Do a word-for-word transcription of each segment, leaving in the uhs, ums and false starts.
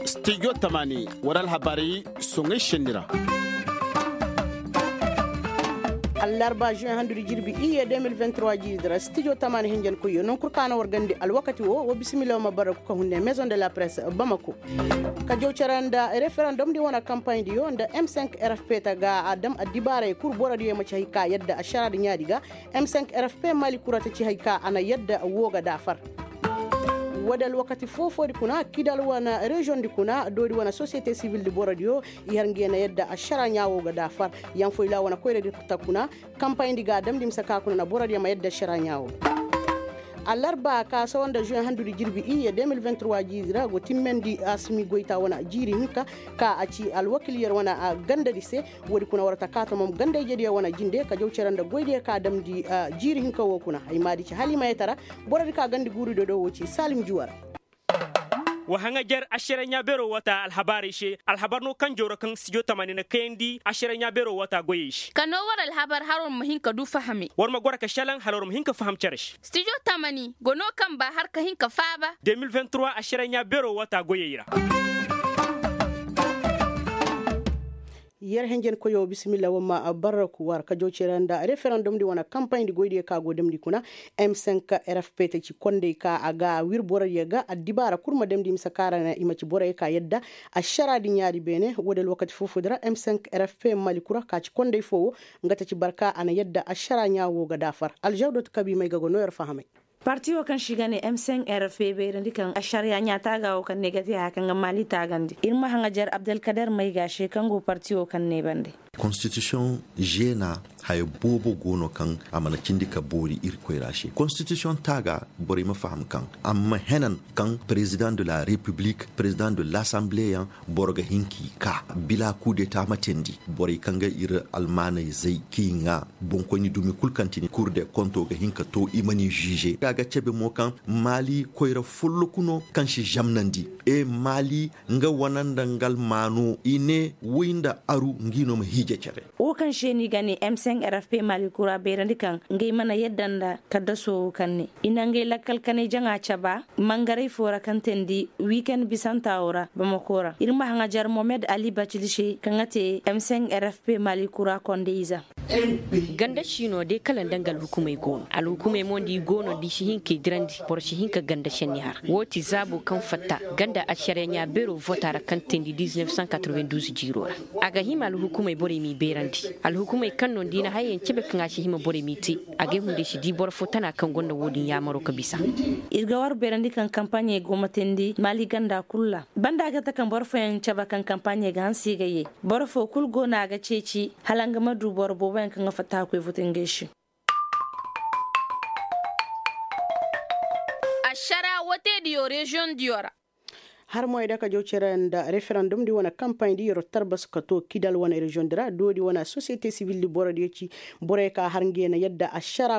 Stijo tamaani war alhabaari soŋay senni ra. Allarba juin handudi jirbi iyye deux mille vingt-trois jiidi ra stijo tamaani hinjankoyyo non kul ka na war gandi alwakati wo wo bisimilla wo ma bara ku ka hunde maison de la presse bamako. Ka jaw care nda referendum di wane kampayndi yo nda m cinq rfp ta ga a dam addibaaray kul borodiyo ma ci hay ka yadda ašaraadi ɲaadi ga. M cinq rfp mali kura ta ci hay ka a na yadda wo ga daafar. Woo di alwakati foo-foodi kuna kidal wane reziyoŋ di kuna doodi wane sosiyete sibil di borodiyo i har nge na yadda ašara ɲaa wo ga daafar. Yaŋ foy ra wane koyradi ta kuna kampayndi ga a damndi mise ka kuna na borodiyo ma yadda ašara ɲaa wo. Allarba ka sawa nda juin handudi jirbi iyye deux mille vingt-trois jiizi ra go timmandi asimi goyta wane jiiri hinka ka a ci alwakil yer wane gandadi se. Woodi kuna war ta ka tomom ganda-ijediyo wane jinde ka jaw cere nda goydiyo ka damndi jiiri hinka wo kuna ay maadi ci halimayetara. Borodi ka gandi guurido do wo ci salim juwar. Wa haŋajer ašareɲa beero wata alhabaarey se alhabar no kaŋ jawra kaŋ sijo tamaani na kayandi ašareɲa beero wata goyey se. Ka no war alhabar hala war ma hin ka du fahamey war ma goro ka šelaŋ hala war ma hin ka faham cere se. Studio tamani go no kaŋ ba har ka hin ka faaba. Deux mille vingt-trois ašareɲa beero wata goyey ra. Yer henjen koyo bisimilla war ma barraku war ka jaw cere nda referendum di wane kampayndi goydiyo ka go damndi kuna. M cinq rfp ta ci kondey ka a ga wir borodiyo ga addibaara kul ma damndi mise ka ra na i ma ci borey ka yadda ašaraadi ɲaadi beene woodi alwakati foo-foodi ra m cinq rfp mali kura ka ci kondey foo wo. Nga ta ci barka a na yadda ašara ɲaa wo ga daafar alžawdot kabi may ga go no yer fahamay. Parti wo kaŋ se i ga ne m cinq rfp bayrandi kaŋ ašariya ɲaa taaga wo kaŋ ne ga te haya kaŋ ga maali taagandi ir ma haŋajer abdalkader may ga se kaŋ go parti wo kaŋ ne bande. Konstitisiyoŋ žena haya boobo go no kaŋ a mana cindi ka boori ir koyra se konstitisiyoŋ taaga borey ma faham kaŋ a ma henan kaŋ perezidaŋ de la repiblik perezidaŋ de lasanbleyaŋ boro ga hin k'i ka bila kudeta ma teendi borey kaŋ ga ir almaanayzey k'i ŋaa boŋkoyni dumi kul kaŋ ti ni kur de konto ga hin ka to i ma ni žiize a ga cebe mo kaŋ maali koyra folloku no kaŋ si zamnandi e maali nga wane nda nga almaano i ne woy nda aru ngi no ma hiije cere. Wo kaŋ se ni ga ne m cinq rfp maali kura bayrandi kaŋ ngey mana yadda nda kaddaso wo kaŋ ne i na ngey lakkal kanay jaŋa caba mangaray foo ra kaŋ teendi wiikend bisanta wo ra bamako ra ir ma haŋajer mohamed ali bacili se kaŋ ga te m cinq rfp maali kura konde ize. Ganda siino day kala nda nga alhukumey go no alhukumey mo nda i go no da i si hin k'i dirandi boro si hin ka ganda senni har woo ti zaabo kaŋ fatta ganda ašariya ɲaa beero vota ra kaŋ teendi dix-neuf cent quatre-vingt-douze jiiroo ra. A ga hima alhukumey borey m'i beerandi alhukumey kaŋ no nda i na hayey yaŋ cebe kaŋ a si hima borey m'i te. A gay hunday si di boro foo tana kaŋ gonda woo din yaamaroo ka bisa. Ir ga war beerandi kaŋ kampaaɲey go ma teendi maali ganda kul ra banda ga ta kaŋ boro fooyaŋ cabe kaŋ kampaaɲey ga hanse ga yee. Boro foo kul go no a ga ceeci hala nga ma du boro booboyaŋ kaŋ ga fatta ka koy vote ngey se. Ašara woteediyo reziyoŋ diyo ra. Har moy da ka jaw cere nda referendum di wane kampaaɲ di yer wo tarbas ka to kidal wane reziyoŋ di ra doodi wane sosiyete sibil di borodiyo ci. Borey ka har nge na yadda ašara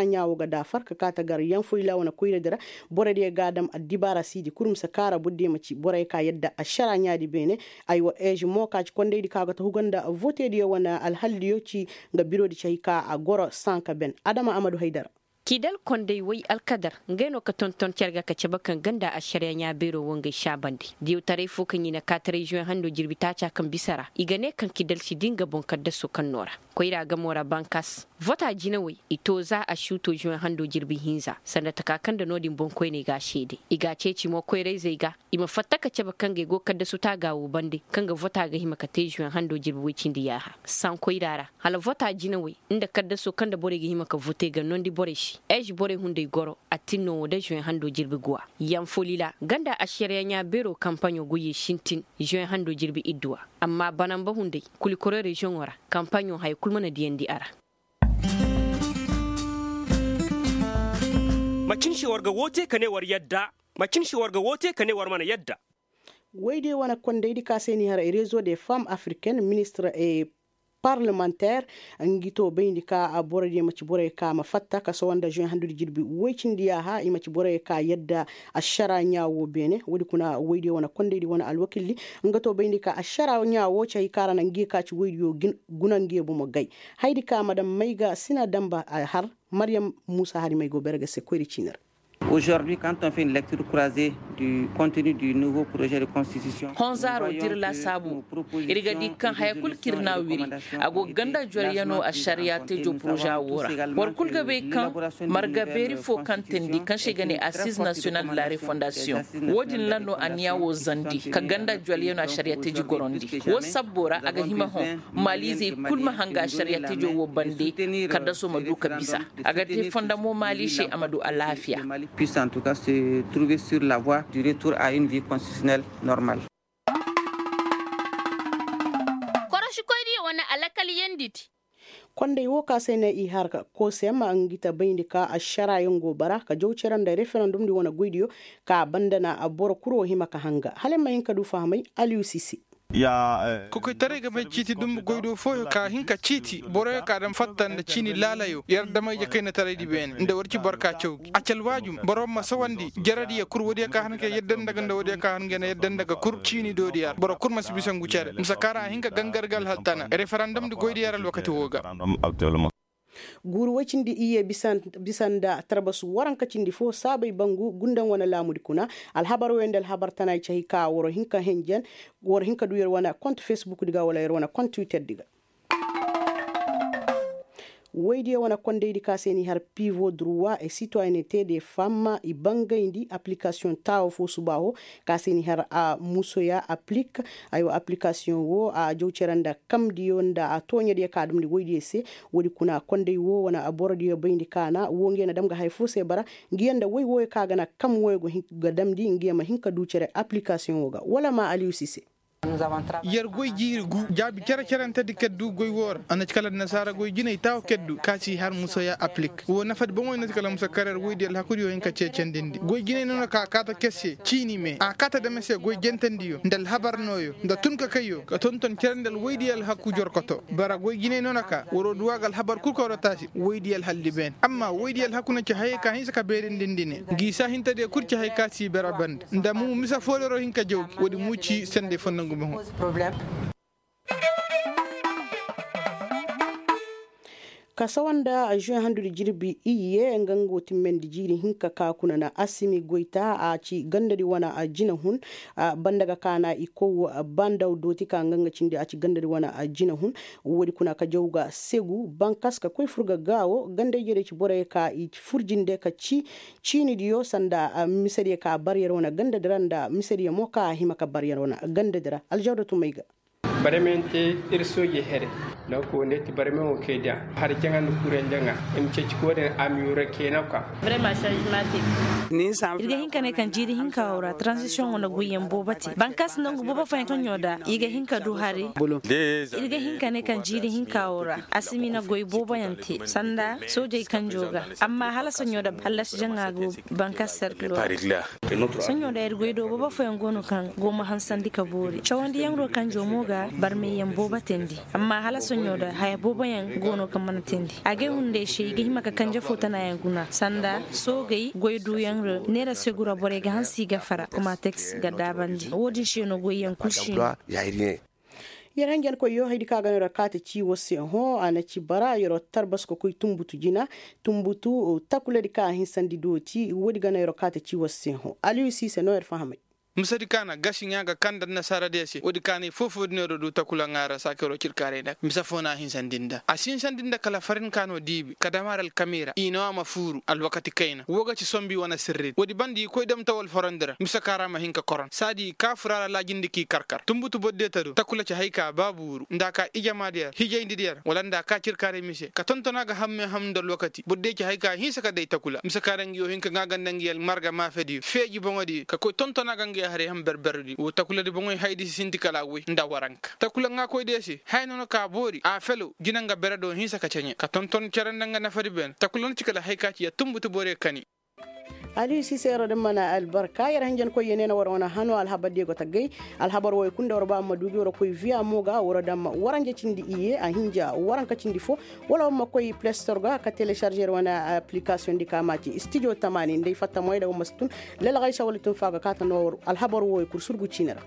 ɲaa wo ga daafar ka ka ta gar yanfoyla wane koyradi ra. Borodiyo ga a dam addibaara siidi kul mise kaara borodiyo ma ci borey ka yadda ašara ɲaadi beene. Aywa eezi mo ka ci kondaydi ka ga ta huga nda votediyo wane alhaldiyo ci. Nga birodi ci hay ka a goro sanka ben adama amadu haydara. Kidal konday way alkadar ngey no ka tonton care ga ka cabe kaŋ ganda ašariya ɲaa beero wo ngey saabandi diyawtaray fo kaŋ i na kaataray zuwe hando jirbi taaca kaŋ bisa ra i ga ne kaŋ kidal si di nga boŋ kaddaso kaŋ no ra. Koyra gamo ra bankas vota jinawey i to za a si to zuwe hando jirbi hinza sanda taka kaŋ nda no- din boŋkoyney ga a seede i ga a ceeci mo koyrayzey ga. I ma fatta ka cabe kaŋ ga i go kaddasu taaga wo bande kaŋ ga vota ga hima ka te zuwe hando jirbi woy cindi yaaha sankoyra ra. Hala vota jinawey nda kaddaso kaŋ nda borey ga hima ka vote ga nondi borey se. Eezi borey hunday goro attin no wo nda zuwe hando jirbi guwa. Yanfolila ganda ašariya ɲaa beero kampaɲo goyey sintin zuwe hando jirbi idduwa. Amma banamba hunday kulikoro reziyoŋo ra kampaɲo haya kul mana diyandi a ra. Macin se war ga woo te ka ne war yadda. Macin se war ga woo te ka ne war mana yadda. Woy de wane kondaydi ka se ni har rezo de femme africaine ministre e parlemanter. Ngi to bayndi ka borodiyo ma ci borey ka ma fatta ka sohõ nda zuwe handudi jirbi woy cindi yaaha i ma ci borey ka yadda ašara ɲaa wo beene woodi kuna woy de wane kondaydi wane alwakildi. Nga to bayndi ka ašara ɲaa wo ci hay ka ra na ngi ka ci woydiyo guna ngi bomo gay. Haydi ka madam mayga sina damba a har maryam muusa hari may go bere ga se koyri ciini ra. Aujourd'hui, quand on fait une lecture croisée du contenu du nouveau projet de constitution, hõ zaaro dira laasaabu, ir ga di kaŋ haya kul kaŋ ir n'a wiri, a go ga ganda jwalyanoo ašariyaa teejoo poroza woo ra. Boro kul ga bay kaŋ marga beeri foo kaŋ teendi kaŋ se i ga ne assize national de la refondasiyoŋ. Woo din ra no anniya woo zandi ka ganda jwalyanoo ašariyaa teeji gorandi. Woo sabboo ra a ga hima hõ maaliizey kul ma hanga ašariyaa teejoo woo bande, kaddasoo ma duu ka bisa. A ga te fonda mo maali se a ma du alaafiya. Mali puisse en tout cas se trouver sur la voie du retour à une vie constitutionnelle normale. Korošikoy diyo wane alakal yandi di. Kondey woo ka se ne i har ka koosem ngi ta bayndi ka ašaraayaŋ go bara ka jaw cere nda referandum di wane goy diyo ka banda na boro kul woo hima ka hanga hala ay ma hin ka du fahamay. Aliyu sise. Kokoytaray ga may ciiti dumbu goydoo fooyo ka hin ka ciiti boroyo ka daŋ fatta nda ciini laalayo yer damay jakaynataray di beene nda war ci boro ka caw gi a ci alwaajum boro ma sawandi jaradiyo kul woodiyo ka han ga yadda nda ga nda woodiyo ka han ga na yadda nda ga kul ciini doodiyo ra boro kul ma si bisa ngu cere mise ka ra a hin ka gangar ga alhaltana referandum di goydiyo ra alwakati woo ga. Guuru woy cindi iyye bisa nda tarbasu waranka cindi foo saabay bangu gundaŋ wane laamudi kuna alhabar woy nda alhabar tana ay cahi ka war hin ka henjen war hin ka du yer wane kont fesbukdi ga wala yer wane kont twitterdi ga. Woydiyo wane kondaydi ka se n'i har pivo druwa e sitoyenete de fam i bangayndi aplikasiyoŋ taawo foo subaaho ka se n'i har a musoya aplik. Aywa aplikasiyoŋ woo a jaw cere nda kamdiyo nda a tooɲadiyo ka damndi woydiyo se. Woodi kuna konday woo wane borodiyo bayndi kaana woo ngiyo na dam ga haya foo se bara ngiyo nda woy wooyo ka ga na kam wooyo ga damndi ngiyo ma hin ka du cere aplikasiyoŋ woo ga wala ma aliyusi se. Yer goy jiiri gu jaabi cere-cerentedi keddu goy woo ra a na ci kala annasaara goy jinay taawo keddu ka si har musoya aplik woo nafadi boŋoy na ci kala musa kareer woydi alhakudiyo hin ka ceecandindi goy jinay noona ka a kaata kes se ciini mee a kaata dame se goy jentandiyo nda alhabar nooyo nda tun ka kayyo ka tonton cere nda alwoydi alhaku jorkoto bara goy jinay noona ka waroo duwaa ga alhabar kul ka waroo taasi woydi alhaldi beene amma woydi alhaku na ci hayey ka hinsa ka beerindindi ne ngi saahintediyo kul ci hay ka si bara bande nda mu mise fooloroo hin ka jaw gi woodi mu ci sendey fonnangu boŋo. Ka sawa nda azuwe handudi jirbi iyye nga nga go timmandi jiiri hinka ka kuna na asimi goyta a ci gandadi wane jina hun. Banda ga kaana i kow bandaw dooti ka nga nga cindi a ci gandadi wane jina hun. Woodi kuna ka jaw ga segu bankas ka koy fur ga gaawo ganda ijediyo ci borey ka i fur jinde ka ci ciinidiyo sanda misediyo ka bar yer wane gandadi ra nda misediyo mo ka a hima ka bar yer wane gandadi ra aljaw da tumay ga. Barmey nte ir sooje here. Nangu ka wo nda ir ti barmey wo kay da hari jaŋa nda kuray jaŋa. I ma ceeci ka wo-din a ma yuura kayna kwa. Ir ga hin ka ne kaŋ jiiri hinka wo ra taranzisiyoŋ wane goyyaŋ boobo te bankaasi nangu boobo fooyaŋ toɲo da i ga hin ka du hari. Ir ga hin ka ne kaŋ jiiri hinka wo ra asimina goy booboyaŋ te sanda soojey kanjo ga. Amma hala soɲo da hallasi jaŋa go bankaasi serkilo ra. Soɲo da ir goy do boobo fooyaŋ go no kaŋ go ma hansandi ka boori cawandiyaŋ do kanjo mo ga barmayyaŋ boobo teendi. Amma hala soɲo da haya booboyaŋ go no kaŋ mana teendi agay hunday se i ga hima ka kanje fo tanayaŋ guna sanda soogey goy duyaŋ ra neera segu ra borey ga hanse i ga fara kuma teks ga daabandi wo-din se no goyyaŋ kul si no. Yer hanjankoyyo haydi kaŋ a ga no yer kaate ci war se hõ a na ci bara yer tarbasu ka koy tunbutu jina. Tunbutu takuladi kaŋ a hinsandi dooti woodi ga no yer kaate ci war se hõ aliyu siise no yer fahamay. Misedi kaŋ a na gasi ŋaa ga kaŋ nda annasaaradiyo se woodi kaŋ a na i foofoo din yer du takula ŋaa ra saakiroo cirkaaray nda mise foo no a hinsandi nda a si hinsandi nda kala farin kaŋ a no diibi ka dam har alkamiira i no a ma fuuru alwakati kayna woo ga ci sombi wane sirridi woodi banda i koy dam tawal forandi ra mise kaŋ ra ma hin ka koron saadi i kaa furaara laajindi k'i kar kar tunbutu borodiyo ta do takula ci hay ka baa buuru nda a kaa ijamaadiyo ra hijayndi diyo ra wala nda a kaa cirkaaray mise ka tonton a ga hammey ham nda alwakati borodiyo ci hay ka hinsa ka day takula mise kaŋ ra ngiyo hin ka ŋaa ga nda ngiyo almarga maafediyo feeji boŋodiyo ka koy tonton a ga ngiyo haray ham berberediyo woo takuladi boŋoy hayadi si sinti kala a woy nda waranka takula ŋaakoydiyo se haya no na ka boori a felo jina nga bere do hinsa ka ceɲe ka tonton cere nda nga nafadi beene takula na ci kala hay ka ci ya tunbutu borey kani. Aliyu siise yeroo da mana albarka yer hanjankoyyo ne na war wane hano alhabardiyo go ta gay. Alhabar woy kul nda war ba ma duubi war koy viya mo ga war dam waranja cindi iyye a hinja waranka cindi fo. Wala war ma koy plestor ga ka telesarze yer wane aplikasiyoŋ di ka ma ci stijo tamaani nda ay fatta moy da war ma si tun. Lelgaysa wala tun fa ga kaata no war alhabar woy kul surgu ciini ra.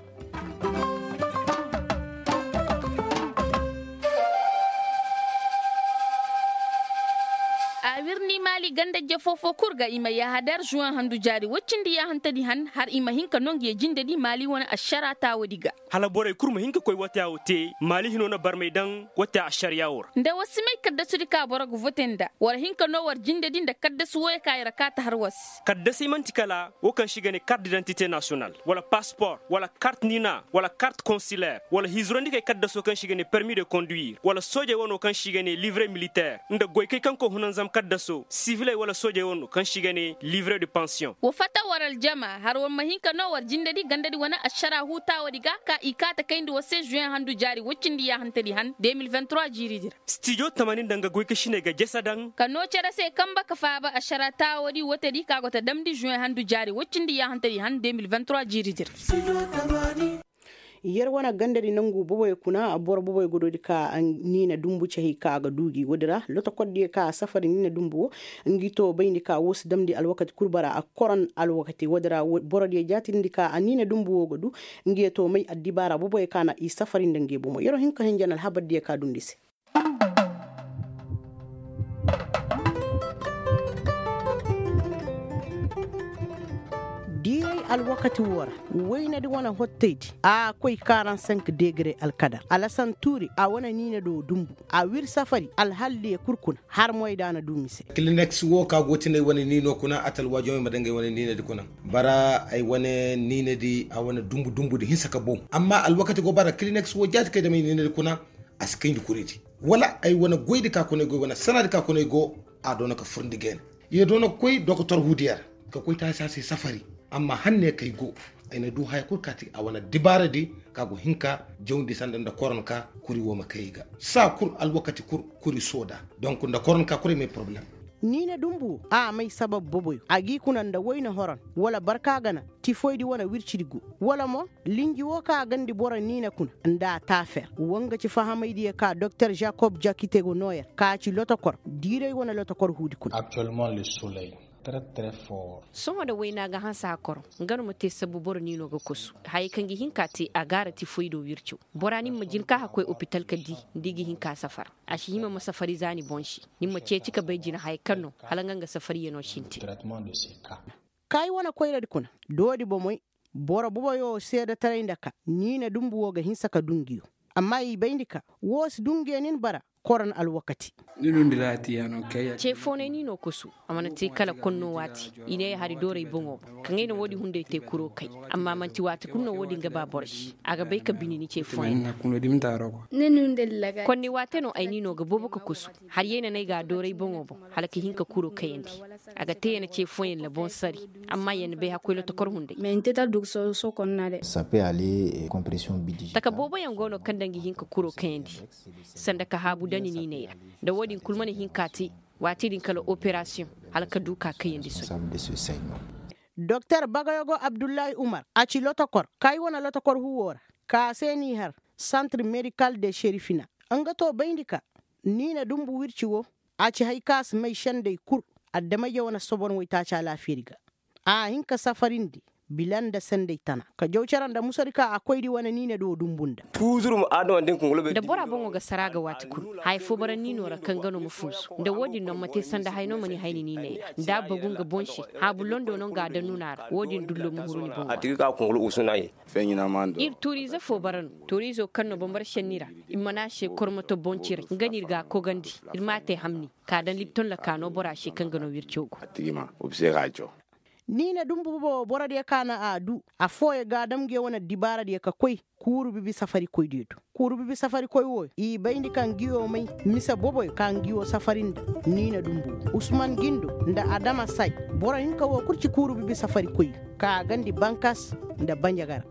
A wirni maali ganda jefoo foo kul ga i ma yahadar zuwan handu jaari woy cindi yaahantadi han har i ma hin ka noo ngi ye jindedi maali wane ašaraa taawadi ga. Hala borey kul ma hin ka koy wataawo te maali hinoo na barmay daŋ wataa ašariyaa woo ra. Nda war si may kaddasudi ka boro ga vote nda war hin ka noo war jindedi nda kaddasu wooyo ka i ra kaati har war se. Kaddasey man'ti kala woo kaŋ se i ga ne kart didantite nasiyonal wala paspor wala kart niina wala kart konsiler wala hizirandikey kaddasoo kaŋ se i ga ne permi de konduir wala soojey wanoo kaŋ se i ga ne livre militer nda goykey kaŋ koy hunanzam kaddasoo siviley wala soojey wanoo kaŋ se i ga ne livre de pansiyoŋ. Wa fatta war aljama har war ma hin ka noo war jindedi gandadi wane ašaraa huu taawadi ga ka i kaa ta kayndi war se zuweŋ handu jaari woy cindi yaahantadi han de mil vingt trois jiiridi ra. Stijo tamanin nda nga goykasiney ga jese daŋ ka noo cere se kanbe ka faaba ašaraa taawadi wootedi ka go ta damndi zuweŋ handu jaari woy cindi yaahantadi han de mil vingt trois jiiridi ra. Yer wane gandadi nangu boboyo kuna boro boboyo ga doodi ka niina dumbu cahey ka a ga duu gi woodi ra lotokordiyo ka a safari niina dumbu wo. Ngi to bayndi ka woo si damndi alwakati kul bara a koron alwakati woodi ra borodiyo jaatirindi ka a niina dumbu wo ga duu. Ngi ye to may addibaara boboyo ka na i safari nda ngi bomo yer wo hin ka hin jana alhabardiyo ka duundi se. Diiray alwakati woo ra waynadi wane hottaydi a koy karansenk degre alkadar alasan tuuri a wane niina do dumbu a wir safari alhaldiyo kul kuna har moy da a na duu mise. Kilineks woo ka go tinay wane niino kuna a talwaajumey ma dangay wane niinadi kuna bara ay wane niinadi a wane dumbu dumbudi hinsa ka boŋ. Amma alwakati go bara kilineks woo jaati kay damay niinadi kuna a si kayndi kuridi wala ay wane goydi ka kuna ay go ay wane sanadi ka kuna ay go. A doona ka furndi geena. Ye doona ka koy dokotor huudiya ra ka koy taasi a se safari. Amma hanne kay go ay na duu haya kul kaati a wane dibaaradi ka go hin ka jawndi sanda nda koronka kuri woo ma kay ay ga saa kul alwakati kul kuri sooda. Donk nda koronka kul ay may poroblem. Niina dumbu woo a may sabab boboyo a g'i kuna nda wayna horon wala barka gana tifoydi wane wircidi go wala mo linji woo ka a gandi boro niina kuna nda a taafer wa nga ci fahamaydiyo ka doktor jakob jakite go noo yer ka ci lotokor diiray wane lotokor huudi kuna. Sohõ da wayna ga hanse hakaro nga no ma te sabbu boro niino ga kosu. Hayey kaŋ ga hin ka te a gaara tifoydo wirco bora ni ma jin ka hakkoy opital ka di nda i ga hin ka safar. A si hima ma safari za ni boŋ se ni ma ceeci ka bay jina hayey kaŋ no hala nga nga safariyano sintin. Kaayi wane koyradi kuna doodi bomey boro boboyo seedetaray nda ka niina dumbu wo ga hinsa ka duu ngiyo. Amma i bayndi ka woo si duu ngiyo nin bara koron alwakati. Ceefoonay ni no kosu a mana te kala konno waati i ne ay hari dooray boŋo boŋ kaŋ ay na woodin hunday te kuro kay. Amma man'ti waati kulu no woodin ga ba boro se a ga bay ka bini ni ceefoonay. Konni waate no ay ni no ga boobo ka kosu. Har yay na no ay ga a dooray boŋo boŋ hala ka hin ka kuro kayandi. A ga te ya na ce fooyaŋ na boŋ sari. Amma ya na bay hakkoy lotokor hunday. Taka booboyaŋ go no kaŋ daŋ ga hin ka kuro kayandi sanda ka haabu dani niiney ra. Nda wo-din kul mana hin ka te waati din kala operasiyoŋ hala ka du ka kayandi sohõ. Doktor bagayogo abdullahi umar a ci lotokor kay wane lotokor huwo ra ka se n'i har santir medikal de sherifina. Nga to bayndi ka niina dumbu wirci wo a ci hay kaŋ a si may sendey kul. Adameyja wane sobon waytaaci alaafiyadi ga a hin ka safarindi bila nda sendey tana ka jaw cere nda musadi ka a koydi wane niinadi wo dumbu nda. Nda bora boŋo ga sara ga waati kulu haya fo bara niino ra kaŋ ga no ma funsu nda wo-din no ma te sanda hay no ma ni hay ni niiney ra nda a bagu nga boŋ se. Haabu londo no nga a daŋ nuna ra wo-din dullo ma huru ni boŋo ra. Ir tuuriize fo bara no tuuriizo kaŋ no bambara šenni ra. Ir mana a se kormoto boŋ ciray nga no ir ga a kogandi. Ir m'a te hamni k'a daŋ lipton lakaano bora se kaŋ ga no wirco go. Niina dumbu bobo borodiyo ka na a du. Affooyo ga a dam nge wane dibaaradiyo ka koy kuuru bibi safarikoydiyo do. Kuuru bibi safarikoy wooyo i bayndi ka ngiyo may mise boboyo ka ngiyo safari nda niina dumbu wo usman gindo nda adama say. Boro hinka woo kul ci kuuru bibi safarikoyyo ka a gandi bankas nda banjagara.